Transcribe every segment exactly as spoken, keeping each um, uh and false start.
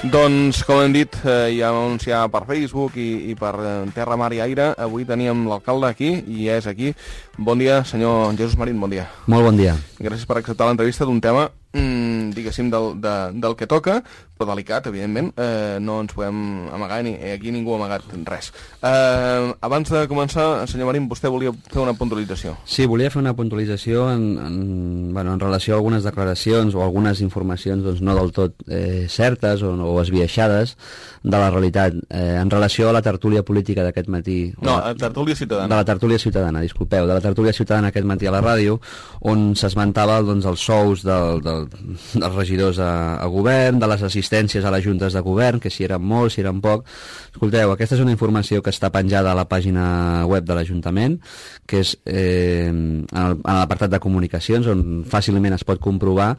Doncs, com hem dit, eh, ja vam anunciar per Facebook i, i per eh, Terra, Mar i Aire, avui teníem l'alcalde aquí, i és aquí. Bon dia, senyor Jesús Marín, bon dia. Molt bon dia. Gràcies per acceptar l'entrevista d'un tema, mm, diguéssim, del, de, del que toca, però delicat, evidentment. Eh, no ens podem amagar, ni aquí ningú ha amagat res. Eh, abans de començar, senyor Marín, vostè volia fer una puntualització. Sí, volia fer una puntualització en, en, bueno, en relació a algunes declaracions o algunes informacions doncs, no del tot eh, certes o, o esbiaixades de la realitat. Eh, en relació a la tertúlia política d'aquest matí... No, la, tertúlia ciutadana. De la tertúlia ciutadana, disculpeu, de la tertúlia ciutadana aquest matí a la ràdio, on s'esmentava doncs, els sous del, del, dels regidors a, a govern, de les assistències a les juntes de govern, que si eren molts, si eren poc. Escolteu, aquesta és una informació que està penjada a la pàgina web de l'Ajuntament, que és eh, en l'apartat de comunicacions, on fàcilment es pot comprovar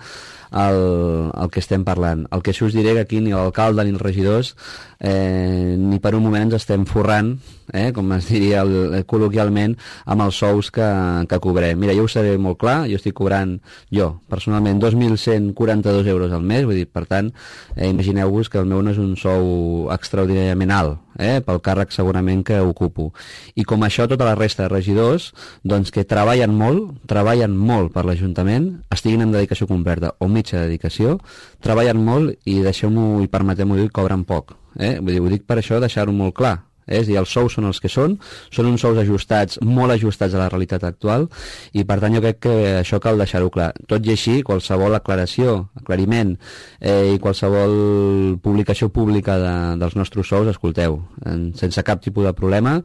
el, el que estem parlant. El que us diré que aquí ni l'alcalde ni els regidors eh, ni per un moment ens estem forrant, eh, com es diria el, col·loquialment, amb els sous que, que cobrem. Mira, jo ho seré molt clar, jo estic cobrant, jo, personalment, dos mil cent quaranta-dos euros al mes, vull dir, per tant, eh, imagineu-vos que el meu no és un sou extraordinàriament alt, eh, pel càrrec segurament que ocupo. I com això, tota la resta de regidors, doncs que treballen molt, treballen molt per l'Ajuntament, estiguin en dedicació completa o mitja dedicació, treballen molt i deixeu-m'ho i permeteu-m'ho dir, cobren poc. Eh? Vull dir, ho dic per això, deixar-ho molt clar. És a dir, els sous són els que són, són uns sous ajustats, molt ajustats a la realitat actual, i per tant jo crec que això cal deixar-ho clar. Tot i així, qualsevol aclaració, aclariment eh, i qualsevol publicació pública de, dels nostres sous, escolteu, en, sense cap tipus de problema,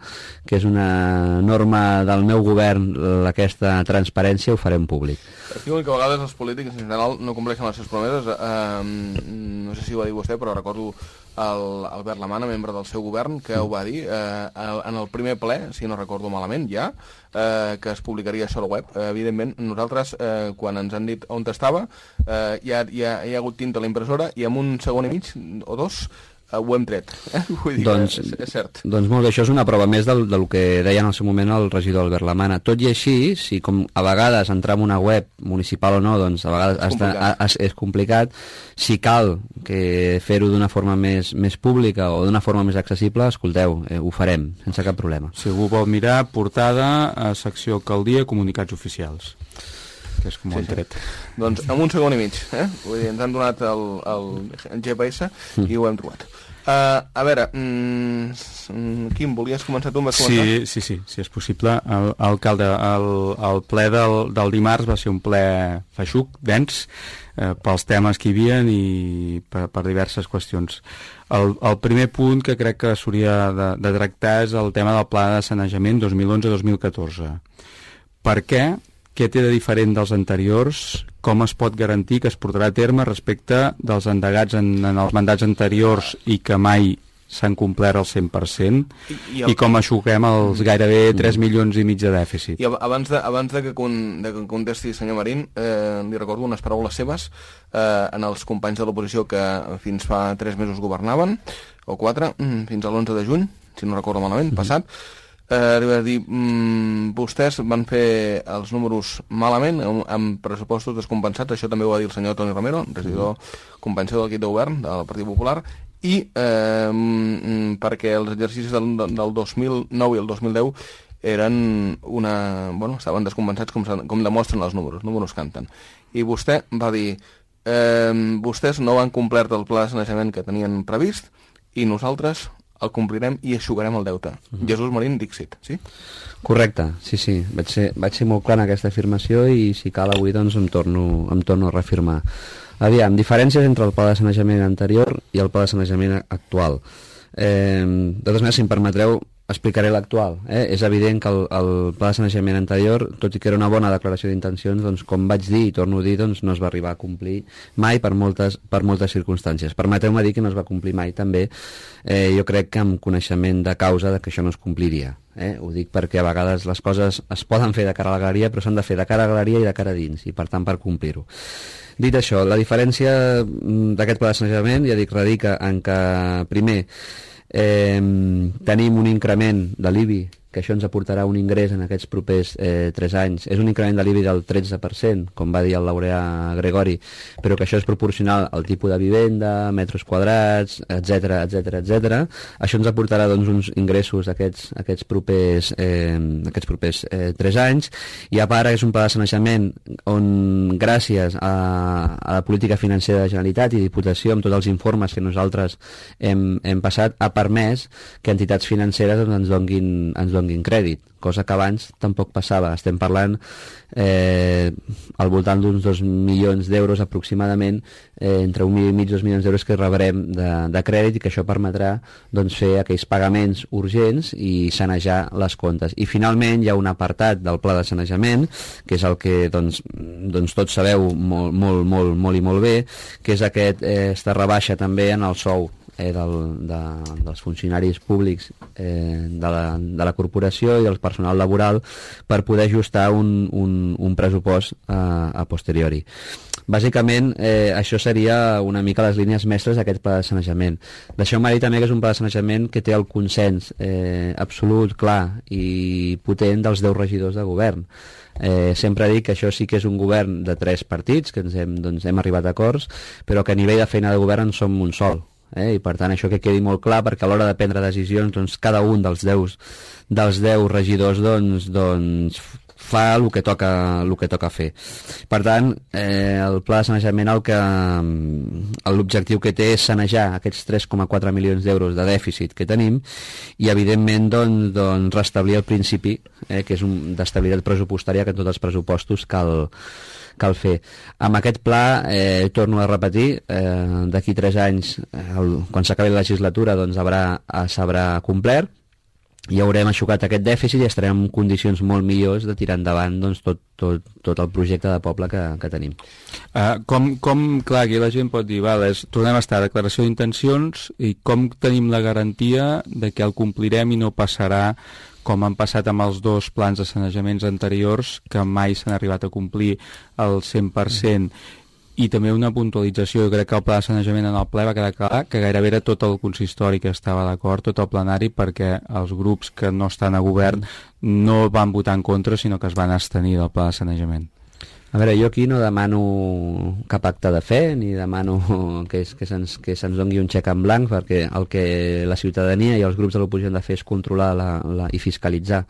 que és una norma del meu govern, aquesta transparència, ho farem públic. Diuen que a vegades els polítics en general no compleixen les seves promeses. Eh, no sé si ho va dir vostè, però recordo el Albert Lamana, membre del seu govern, que ho va dir eh, en el primer ple, si no recordo malament, ja, eh, que es publicaria això a la web. Eh, evidentment, nosaltres, eh, quan ens han dit on estava, eh, ja, ja hi ha hagut tinta a la impressora i en un segon i mig, o dos, ho hem tret. Eh? Vull dir, doncs, és, és cert. Doncs molt bé, això és una prova més del, del que deia en el seu moment el regidor Albert Lamana. Tot i així, si com a vegades entrar en una web municipal o no, doncs a vegades és complicat, és, és complicat. Si cal que fer-ho d'una forma més, més pública o d'una forma més accessible, escolteu, eh, ho farem, sense cap problema. Si algú vol mirar, portada a secció Alcaldia, comunicats oficials. Que és com ho han tret. Doncs en un segon i mig, eh? Vull dir, ens han donat el, el G P S mm. i ho hem trobat. Uh, a veure, mm, Quim, volies començar tu? Vas començar? Sí, sí, sí, si és possible. El, alcalde, el, el ple del, del dimarts va ser un ple feixuc, dens, eh, pels temes que hi havia i per, per diverses qüestions. El, el primer punt que crec que s'hauria de, de tractar és el tema del pla de sanejament dos mil onze dos mil catorze. Per què? Què té de diferent dels anteriors? Com es pot garantir que es portarà a terme respecte dels endegats en, en els mandats anteriors i que mai s'han complert al cent per cent? I, i, el... I com aixuguem els gairebé tres milions i mig de dèficit? I abans de, abans de, que, con, de que contesti senyor Marín, eh, li recordo unes paraules seves eh, en els companys de l'oposició que fins fa tres mesos governaven, o quatre, fins a l'onze de juny, si no recordo malament, mm-hmm. passat. Eh, li va dir, mm, vostès van fer els números malament amb, amb pressupostos descompensats, això també ho va dir el senyor Toni Romero, regidor mm. compensador del l'equip de govern del Partit Popular, i eh, mm, perquè els exercicis del, del dos mil nou i el dos mil deu eren una... bueno, estaven descompensats com, com demostren els números, els números canten. I vostè va dir, eh, vostès no han complert el pla de sanejament que tenien previst i nosaltres el complirem i aixugarem el deute. Uh-huh. Jesús Marín, Dixit, sí? Correcte, sí, sí. Vaig ser, vaig ser molt clar en aquesta afirmació i si cal avui doncs em torno, em torno a reafirmar. Aviam, diferències entre el pla de sanejament anterior i el pla de sanejament actual. Eh, de totes maneres, si em permetreu, explicaré l'actual. Eh? És evident que el, el pla de sanejament anterior, tot i que era una bona declaració d'intencions, doncs, com vaig dir i torno a dir, doncs, no es va arribar a complir mai per moltes, per moltes circumstàncies. Permeteu-me dir que no es va complir mai també, eh, jo crec que amb coneixement de causa de que això no es compliria. Eh? Ho dic perquè a vegades les coses es poden fer de cara a la galeria, però s'han de fer de cara a la galeria i de cara a dins, i per tant per complir-ho. Dit això, la diferència d'aquest pla de sanejament, ja dic, radica en que, primer, Eh, tenim un increment de l'I B I que això ens aportarà un ingrés en aquests propers eh, tres anys. És un increment de l'I B I del tretze per cent, com va dir el laureà Gregori, però que això és proporcional al tipus de vivenda, metres quadrats, etc etc etc. Això ens aportarà doncs, uns ingressos aquests, aquests propers, eh, aquests propers eh, tres anys, i a part és un pla de sanejament on, gràcies a, a la política financera de la Generalitat i Diputació, amb tots els informes que nosaltres hem, hem passat, ha permès que entitats financeres doncs, ens, donguin, ens donguin crèdit, cosa que abans tampoc passava. Estem parlant eh, al voltant d'uns dos milions d'euros aproximadament, eh, entre un milió i mig i dos milions d'euros que rebrem de, de crèdit, i que això permetrà doncs, fer aquells pagaments urgents i sanejar les comptes. I finalment hi ha un apartat del pla de sanejament, que és el que doncs, doncs tots sabeu molt, molt, molt, molt i molt bé, que és aquest, eh, esta rebaixa també en el sou Eh, del, de, dels funcionaris públics eh, de, la, de la corporació i del personal laboral, per poder ajustar un, un, un pressupost a, a posteriori. Bàsicament, eh, això seria una mica les línies mestres d'aquest pla de sanejament. Deixeu-me dir també que és un pla de sanejament que té el consens eh, absolut, clar i potent dels deu regidors de govern. Eh, sempre dic que això sí que és un govern de tres partits, que ens hem, doncs, hem arribat a acords, però que a nivell de feina de govern en som un sol. Eh? I per tant això que quedi molt clar, perquè a l'hora de prendre decisions doncs, cada un dels deu, dels deu regidors doncs, doncs, fa el que toca, el que toca fer. Per tant, eh, el pla de sanejament el que l'objectiu que té és sanejar aquests tres coma quatre milions d'euros de dèficit que tenim i evidentment doncs, doncs, restablir el principi eh, que és un, d'estabilitat pressupostària que en tots els pressupostos cal cal fer. Amb aquest pla, eh, torno a repetir, eh, d'aquí tres anys, el, quan s'acabi la legislatura, doncs s'haurà complert, i haurem aixucat aquest dèficit i estarem en condicions molt millors de tirar endavant doncs, tot, tot, tot el projecte de poble que, que tenim. Uh, com, com, clar, aquí la gent pot dir, val, és, tornem a estar a declaració d'intencions, i com tenim la garantia de que el complirem i no passarà com han passat amb els dos plans de sanejaments anteriors, que mai s'han arribat a complir el cent per cent. I també una puntualització, jo crec que el pla de sanejament en el ple va quedar clar que gairebé era tot el consistori que estava d'acord, tot el plenari, perquè els grups que no estan a govern no van votar en contra, sinó que es van abstenir del pla de sanejament. A veure, jo aquí no demano cap acte de fe, ni demano que, que se'ns que se'ns doni un xec en blanc, perquè el que la ciutadania i els grups de l'oposició han de fer és controlar la, la, i fiscalitzar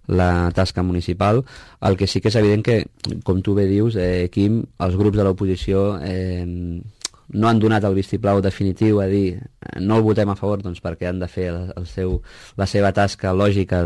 la tasca municipal. El que sí que és evident que, com tu bé dius, eh, Quim, els grups de l'oposició eh, no han donat el vistiplau definitiu a dir no el votem a favor, doncs perquè han de fer el, el seu, la seva tasca lògica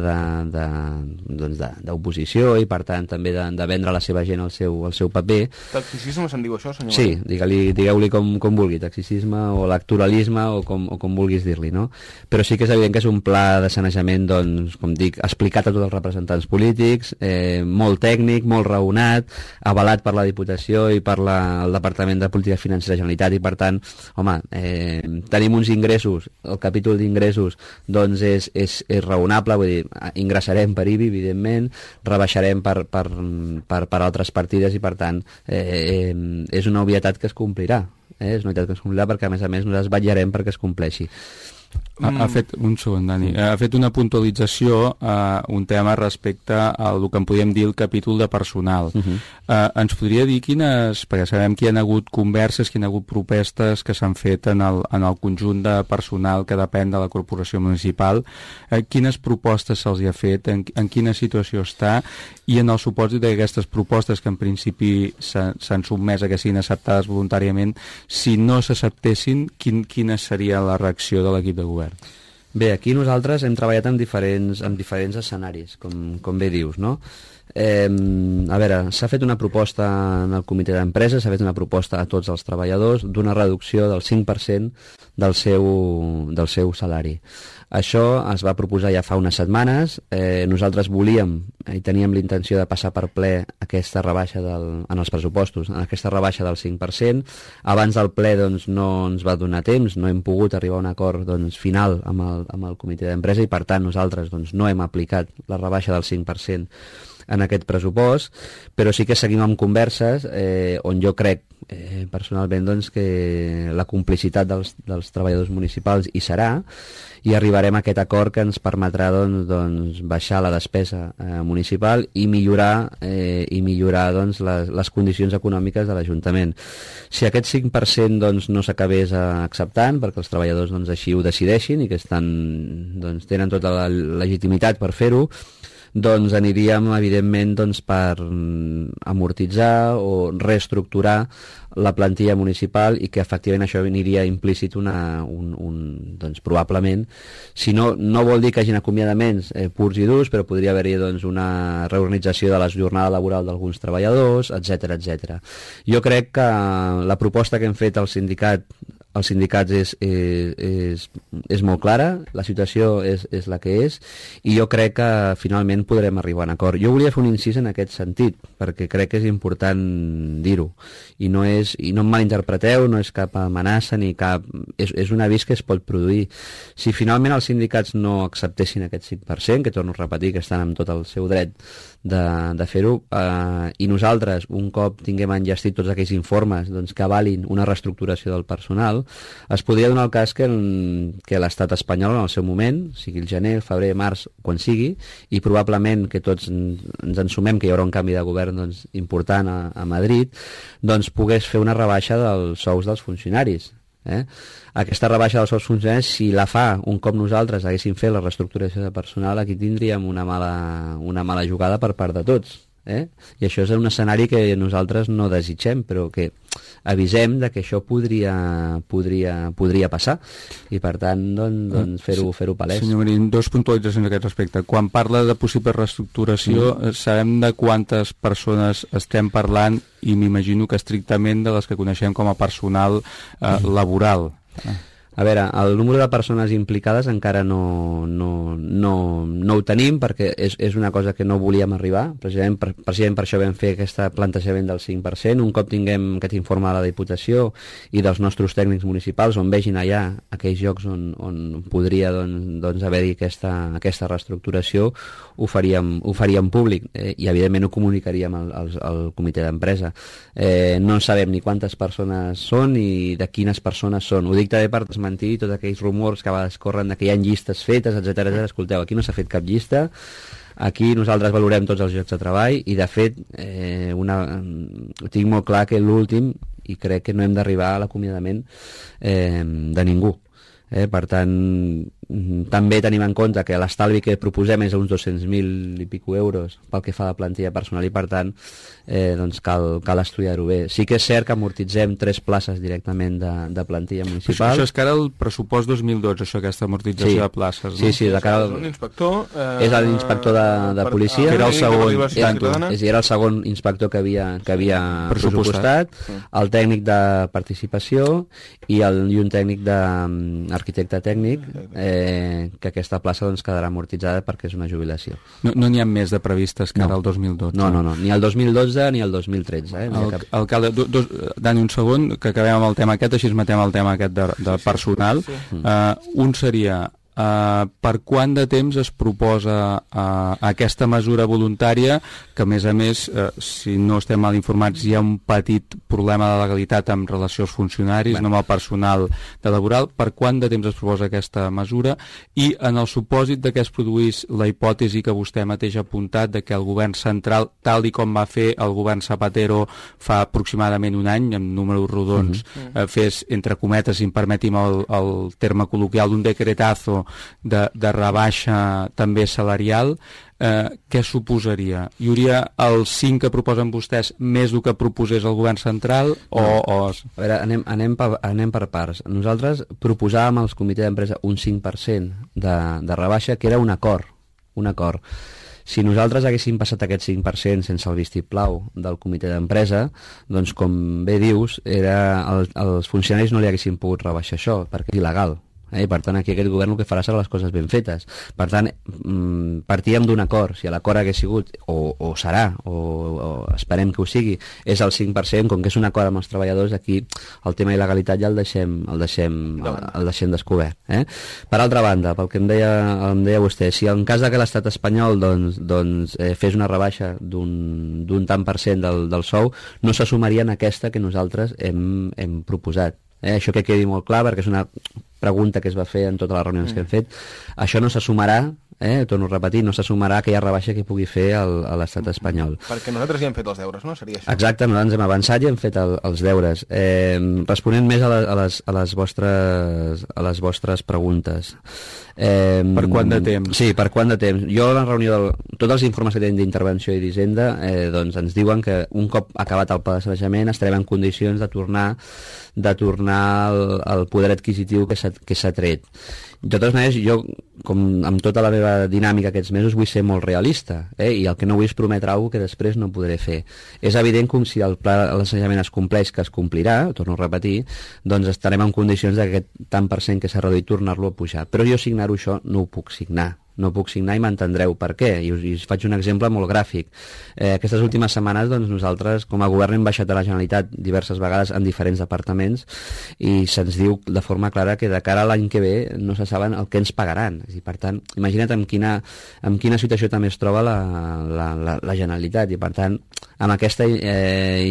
d'oposició, doncs i per tant també de, de vendre a la seva gent el seu, el seu paper. Taxicisme se'n diu això, senyor? Sí, digue-li, digueu-li com, com vulgui, taxicisme o electoralisme o com, o com vulguis dir-li, no? Però sí que és evident que és un pla de sanejament, doncs, com dic, explicat a tots els representants polítics, eh, molt tècnic, molt raonat, avalat per la Diputació i per la, el Departament de Política Financera de la Generalitat, i per tant, home, eh, tenim uns ingressos, el capítol d'ingressos doncs és, és, és raonable, vull dir, ingressarem per I B I, evidentment, rebaixarem per, per, per, per altres partides i per tant eh, eh, és una obvietat que es complirà, eh? És una obvietat que es complirà perquè a més a més nosaltres vetllarem perquè es compleixi. Ha, ha fet, un segon, Dani, ha fet una puntualització a uh, un tema respecte al que en podríem dir el capítol de personal. Uh -huh. uh, ens podria dir quines, perquè sabem que hi ha hagut converses, que hi ha hagut propostes que s'han fet en el, en el conjunt de personal que depèn de la corporació municipal, uh, quines propostes se'ls ha fet, en, en quina situació està, i en el supòsit d'aquestes propostes que en principi s'han sotmès a que siguin acceptades voluntàriament, si no s'acceptessin, quin, quina seria la reacció de l'equip de govern? Bé, aquí nosaltres hem treballat en diferents, en diferents escenaris, com, com bé dius, no? Eh, a veure, s'ha fet una proposta en el comitè d'empresa, s'ha fet una proposta a tots els treballadors d'una reducció del cinc per cent del seu, del seu salari. Això es va proposar ja fa unes setmanes, eh, nosaltres volíem i teníem l'intenció de passar per ple aquesta rebaixa del, en els pressupostos, en aquesta rebaixa del cinc per cent. Abans del ple doncs, no ens va donar temps, no hem pogut arribar a un acord doncs, final amb el, amb el comitè d'empresa i per tant nosaltres doncs, no hem aplicat la rebaixa del cinc per cent en aquest pressupost, però sí que seguim amb converses eh, on jo crec eh, personalment doncs, que la complicitat dels, dels treballadors municipals hi serà, i arribarem a aquest acord que ens permetrà doncs, doncs, baixar la despesa eh, municipal i millorar, eh, i millorar doncs, les, les condicions econòmiques de l'Ajuntament. Si aquest cinc per cent doncs, no s'acabés acceptant, perquè els treballadors doncs, així ho decideixin i que estan, doncs, tenen tota la legitimitat per fer-ho, doncs aniríem, evidentment, doncs, per amortitzar o reestructurar la plantilla municipal i que efectivament això aniria implícit una, un, un, doncs, probablement, si no, no vol dir que hagin acomiadaments eh, purs i durs, però podria haver-hi doncs, una reorganització de la jornada laboral d'alguns treballadors, etcètera, etcètera. Jo crec que la proposta que hem fet al sindicat els sindicats és, és, és, és molt clara, la situació és, és la que és, i jo crec que finalment podrem arribar a un acord. Jo volia fer un incís en aquest sentit, perquè crec que és important dir-ho, i no és, i no em malinterpreteu, no és cap amenaça ni cap... És, és un avís que es pot produir. Si finalment els sindicats no acceptessin aquest cinc per cent, que torno a repetir que estan amb tot el seu dret de, de fer-ho, eh, i nosaltres, un cop tinguem enllestit tots aquells informes doncs, que avalin una reestructuració del personal, es podria donar el cas que, que l'estat espanyol en el seu moment, sigui el gener, el febrer, març, quan sigui, i probablement que tots ens ensumem que hi haurà un canvi de govern doncs, important a, a Madrid, doncs pogués fer una rebaixa dels sous dels funcionaris. Eh? Aquesta rebaixa dels sous funcionaris, si la fa un cop nosaltres haguéssim fet la reestructuració de personal, aquí tindríem una mala, una mala jugada per part de tots. Eh? I això és un escenari que nosaltres no desitgem, però que avisem de que això podria, podria, podria passar, i per tant doncs, doncs fer-ho fer-ho palès. Senyor Marín, dos puntualitzacions a aquest respecte. Quan parla de possible reestructuració, mm. sabem de quantes persones estem parlant, i m'imagino que estrictament de les que coneixem com a personal eh, mm. laboral. Eh. A veure, el número de persones implicades encara no, no, no, no ho tenim, perquè és, és una cosa que no volíem arribar, precisament per, precisament per això vam fer aquest plantejament del cinc per cent. Un cop tinguem aquest informe de la Diputació i dels nostres tècnics municipals, on vegin allà aquells llocs on, on podria doncs, doncs haver-hi aquesta, aquesta reestructuració, ho faríem, ho faríem públic, eh, i evidentment ho comunicaríem al, al, al comitè d'empresa. Eh, no sabem ni quantes persones són ni de quines persones són. Ho dic també per desmentir tots aquells rumors que a vegades corren de que hi ha llistes fetes, etcètera, etcètera. Escolteu, aquí no s'ha fet cap llista, aquí nosaltres valorem tots els llocs de treball, i de fet eh, una, tinc molt clar que l'últim, i crec que no hem d'arribar a l'acomiadament eh, de ningú. Eh, per tant, també tenim en compte que l'estalvi que proposem és uns dos-cents mil i pico euros pel que fa a la plantilla personal, i per tant eh, doncs cal, cal estudiar-ho bé. Sí que és cert que amortitzem tres places directament de, de plantilla municipal. Això, això és cara al pressupost dos mil dotze, això, aquesta amortització sí. de places, no? Sí, sí, de cara al... Eh, és l'inspector de, de policia, que era el segon, és, era el segon inspector que havia, que havia pressupostat, el tècnic de participació i, el, i un tècnic d'arquitecte tècnic, eh, que aquesta plaça doncs, quedarà amortitzada perquè és una jubilació. No n'hi no ha més de previstes que no. ara el dos mil dotze? No, no, no, ni el dos mil dotze ni el dos mil tretze. Eh? El, cap... Alcalde, do, do, Dani, un segon, que acabem amb el tema aquest, així es matem el tema aquest de, de personal. Sí, sí, sí. Uh, un seria... Uh, per quant de temps es proposa uh, aquesta mesura voluntària, que a més a més, uh, si no estem mal informats, hi ha un petit problema de legalitat en relació als funcionaris, bueno. no amb el personal de laboral. Per quant de temps es proposa aquesta mesura? I en el supòsit de que es produís la hipòtesi que vostè mateix ha apuntat de que el govern central, tal i com va fer el govern Zapatero fa aproximadament un any, amb números rodons, mm-hmm. uh, fes, entre cometes, si em permetim el, el terme col·loquial, un decretazo De, de rebaixa també salarial, eh, què suposaria? Hi hauria el cinc que proposen vostès més del que proposés el govern central? O, no. o... A veure, anem, anem, per, anem per parts. Nosaltres proposàvem als comitès d'empresa un cinc per cent de, de rebaixa, que era un acord, un acord. Si nosaltres haguéssim passat aquest cinc per cent sense el vistiplau del comitè d'empresa, doncs, com bé dius, era, el, els funcionaris no li haguessin pogut rebaixar això, perquè és il·legal. Eh? I per tant aquí aquest govern el que farà serà les coses ben fetes. Per tant, mm, partíem d'un acord, si l'acord hagués sigut, o, o serà, o, o esperem que ho sigui, és el cinc per cent, com que és un acord amb els treballadors, aquí el tema il·legalitat ja el deixem, el deixem, el, el deixem descobert. Eh? Per altra banda, pel que em deia, em deia vostè, si en cas de que l'estat espanyol doncs, doncs, eh, fes una rebaixa d'un, d'un tant per cent del, del sou, no se sumaria en aquesta que nosaltres hem, hem proposat. Eh, això que quedi molt clar, perquè és una pregunta que es va fer en totes les reunions mm. que hem fet. Això no se sumarà, eh, torno a repetir, no se sumarà aquella rebaixa que pugui fer el, a l'estat espanyol. Perquè nosaltres ja hem fet els deures, no? Seria això. Exacte, nosaltres hem avançat i hem fet el, els deures. Eh, responent més a, la, a, les, a, les vostres, a les vostres preguntes. Eh, per quant de temps? Sí, per quant de temps. Jo a la reunió, del, tots els informes que tenen d'Intervenció i d'Hisenda eh, doncs ens diuen que un cop acabat el pla de sanejament estarem en condicions de tornar de tornar al, al poder adquisitiu que s'ha tret. De totes maneres, jo, com amb tota la meva dinàmica aquests mesos, vull ser molt realista, eh? I el que no vull és prometre alguna cosa que després no podré fer. És evident que si el pla de sanejament es compleix, que es complirà, torno a repetir, doncs estarem en condicions d'aquest tant per cent que s'ha reduït tornar-lo a pujar. Però jo signar-ho això no ho puc signar. No puc signar i m'entendreu per què, i us, i us faig un exemple molt gràfic. Eh, aquestes últimes setmanes doncs, nosaltres com a govern hem baixat a la Generalitat diverses vegades en diferents departaments i se'ns diu de forma clara que de cara a l'any que ve no se saben el que ens pagaran. I per tant, imagina't en quina, en quina situació també es troba la, la, la, la Generalitat, i per tant amb aquesta eh,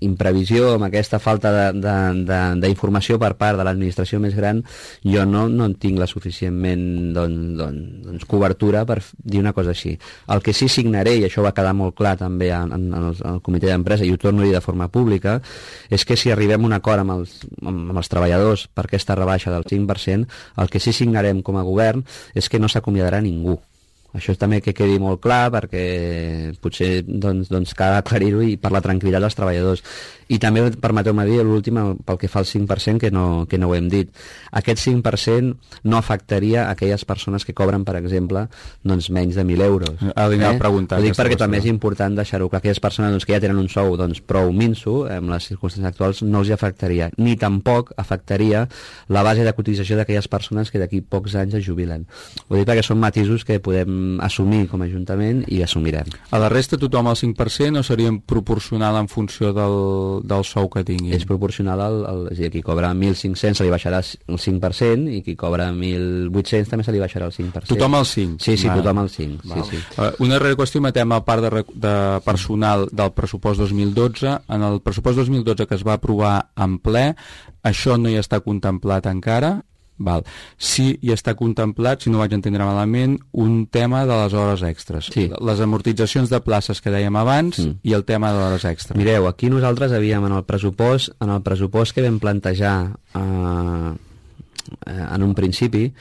imprevisió, amb aquesta falta d'informació per part de l'administració més gran, jo no, no en tinc la suficientment doncs, doncs, cobertura per dir una cosa així. El que sí signaré, i això va quedar molt clar també en, en, en, el, en el comitè d'empresa, i ho torno a dir de forma pública, és que si arribem a un acord amb els, amb, amb els treballadors per aquesta rebaixa del cinc per cent, el que sí signarem com a govern és que no s'acomiadarà ningú. Això també que quedi molt clar, perquè potser doncs, doncs cal aclarir-ho i per la tranquil·litat dels treballadors. I també permeteu-me dir l'últim pel que fa al cinc per cent, que no, que no ho hem dit. Aquest cinc per cent no afectaria aquelles persones que cobren, per exemple, doncs menys de mil euros. Ah, eh? a preguntar. Ho dic perquè també és important deixar-ho clar. Aquelles persones doncs, que ja tenen un sou doncs, prou minso, amb les circumstàncies actuals, no els hi afectaria. Ni tampoc afectaria la base de cotització d'aquelles persones que d'aquí pocs anys es jubilen. Ho dic perquè són matisos que podem assumir com a Ajuntament i assumirem. A la resta tothom al cinc per cent o seria proporcional en funció del, del sou que tingui? És proporcional al, al, és a dir, qui cobra mil cinc-cents se li baixarà el cinc per cent i qui cobra mil vuit-cents també se li baixarà el cinc per cent. Tothom al cinc? Sí, sí, Val. tothom al cinc. Sí, sí. Uh, una darrera qüestió, matem a part de, de personal del pressupost dos mil dotze. En el pressupost dos mil dotze que es va aprovar en ple, això no hi està contemplat encara. Val. Sí, hi està contemplat, si no vaig entendre malament, un tema de les hores extres. Sí. Les amortitzacions de places que dèiem abans mm. i el tema de hores extres. Mireu, aquí nosaltres havíem en el pressupost, en el pressupost que vam plantejar eh, en un principi,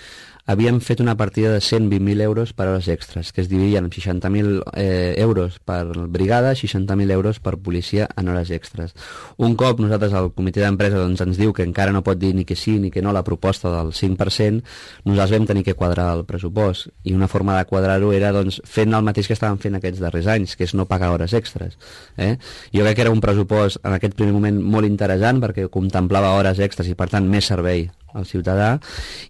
havíem fet una partida de cent vint mil euros per hores extres, que es dividien en seixanta mil eh, euros per brigada, seixanta mil euros per policia en hores extres. Un cop nosaltres al comitè d'empresa doncs, ens diu que encara no pot dir ni que sí ni que no la proposta del cinc per cent, nosaltres vam tenir que quadrar el pressupost, i una forma de quadrar-ho era doncs, fent el mateix que estàvem fent aquests darrers anys, que és no pagar hores extres. Eh? Jo crec que era un pressupost en aquest primer moment molt interessant perquè contemplava hores extres i per tant més servei al ciutadà,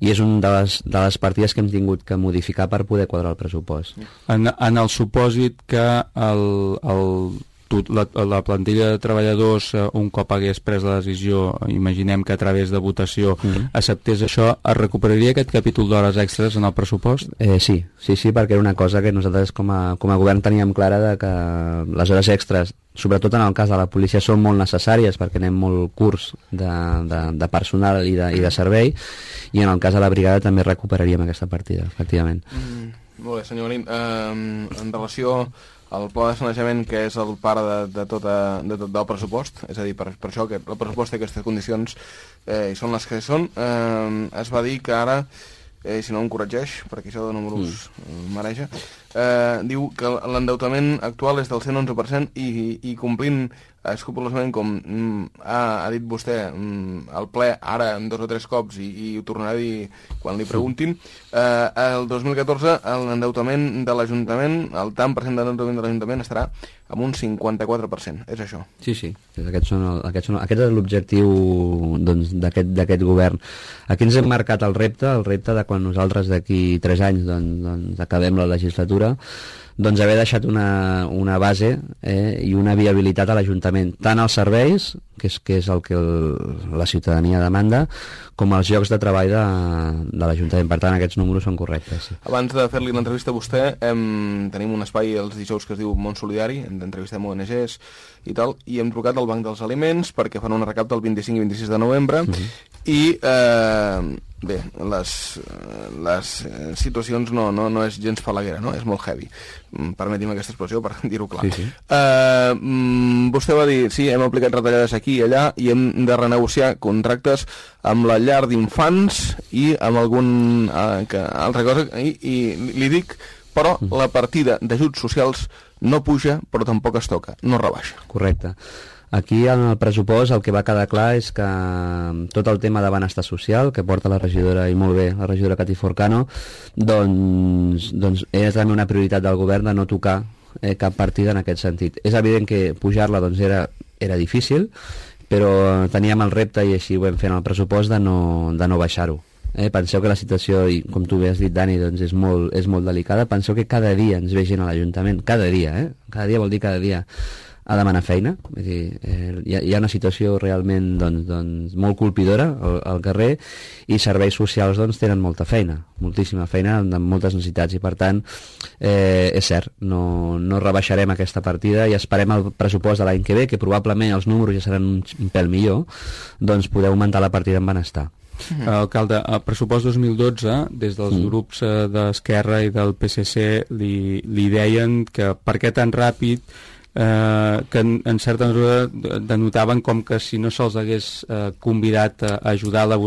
i és una de les, de les partides que hem tingut que modificar per poder quadrar el pressupost. En, en el supòsit que el, el, la, la plantilla de treballadors un cop hagués pres la decisió, imaginem que a través de votació mm. acceptés això, es recuperaria aquest capítol d'hores extres en el pressupost? Eh, sí, sí, sí, perquè era una cosa que nosaltres com a, com a govern teníem clara de que les hores extres, sobretot en el cas de la policia, són molt necessàries perquè anem molt curts de, de, de personal i de, i de servei, i en el cas de la brigada també recuperaríem aquesta partida, efectivament. Mm, molt bé, senyor Marín. Um, en relació al pla de sanejament, que és el pare de, de, tota, de tot del pressupost, és a dir, per, per això que el pressupost té aquestes condicions eh, i són les que són, eh, es va dir que ara, eh, si no em corregeix, perquè això de números mm. mareja, eh, diu que l'endeutament actual és del cent onze per cent i, i complint escrupolosament, com mm, ha, ha dit vostè mm, al ple ara en dos o tres cops i, i ho tornarà a dir quan li preguntin, eh, el dos mil catorze l'endeutament de l'Ajuntament, el tant per cent de l'endeutament de l'Ajuntament estarà amb un cinquanta-quatre per cent, és això. Sí, sí, aquests són el, aquests són, aquest és l'objectiu doncs, d'aquest govern. Aquí ens hem marcat el repte, el repte de quan nosaltres d'aquí tres anys doncs, doncs, acabem la legislatura, doncs haver deixat una, una base eh, i una viabilitat a l'Ajuntament, tant als serveis, que és, que és el que el, la ciutadania demanda, com als llocs de treball de, de l'Ajuntament. Per tant, aquests números són correctes. Sí. Abans de fer-li l'entrevista a vostè, hem, tenim un espai els dijous que es diu Món Solidari, entrevistem O N Ges i tal, i hem trucat al Banc dels Aliments perquè fan una recapta el vint-i-cinc i vint-i-sis de novembre, uh-huh. i eh, bé, les, les situacions no, no, no és gens falaguera, no? És molt heavy. Permeti'm aquesta expressió per dir-ho clar. Sí, sí. Eh, vostè va dir, sí, hem aplicat retallades aquí i allà i hem de renegociar contractes amb la llar d'infants i amb algun eh, que, altra cosa, i, i li dic, però la partida d'ajuts socials no puja, però tampoc es toca, no rebaixa. Correcte. Aquí en el pressupost el que va quedar clar és que tot el tema de benestar social que porta la regidora, i molt bé, la regidora Cati Forcano, doncs, doncs és també una prioritat del govern de no tocar eh, cap partida en aquest sentit. És evident que pujar-la doncs, era, era difícil, però teníem el repte, i així ho vam fer en el pressupost, de no, de no baixar-ho. Eh, penseu que la situació, i com tu bé has dit, Dani, doncs és molt, és molt delicada. Penseu que cada dia ens ve gent a l'Ajuntament, cada dia, eh? Cada dia vol dir cada dia a demanar feina. Vull dir, eh, hi, ha, hi ha una situació realment doncs, doncs, molt colpidora al, al carrer, i serveis socials doncs, tenen molta feina, moltíssima feina, amb moltes necessitats, i per tant eh, és cert, no, no rebaixarem aquesta partida i esperem el pressupost de l'any que ve, que probablement els números ja seran un, un pèl millor, doncs poder augmentar la partida en benestar. Mm. Alcalde, el pressupost dos mil dotze, des dels mm. grups eh, d'Esquerra i del P S C li, li deien que per què tan ràpid, eh, que en, en certa mesura denotaven com que si no se'ls hagués eh, convidat a ajudar a elaborar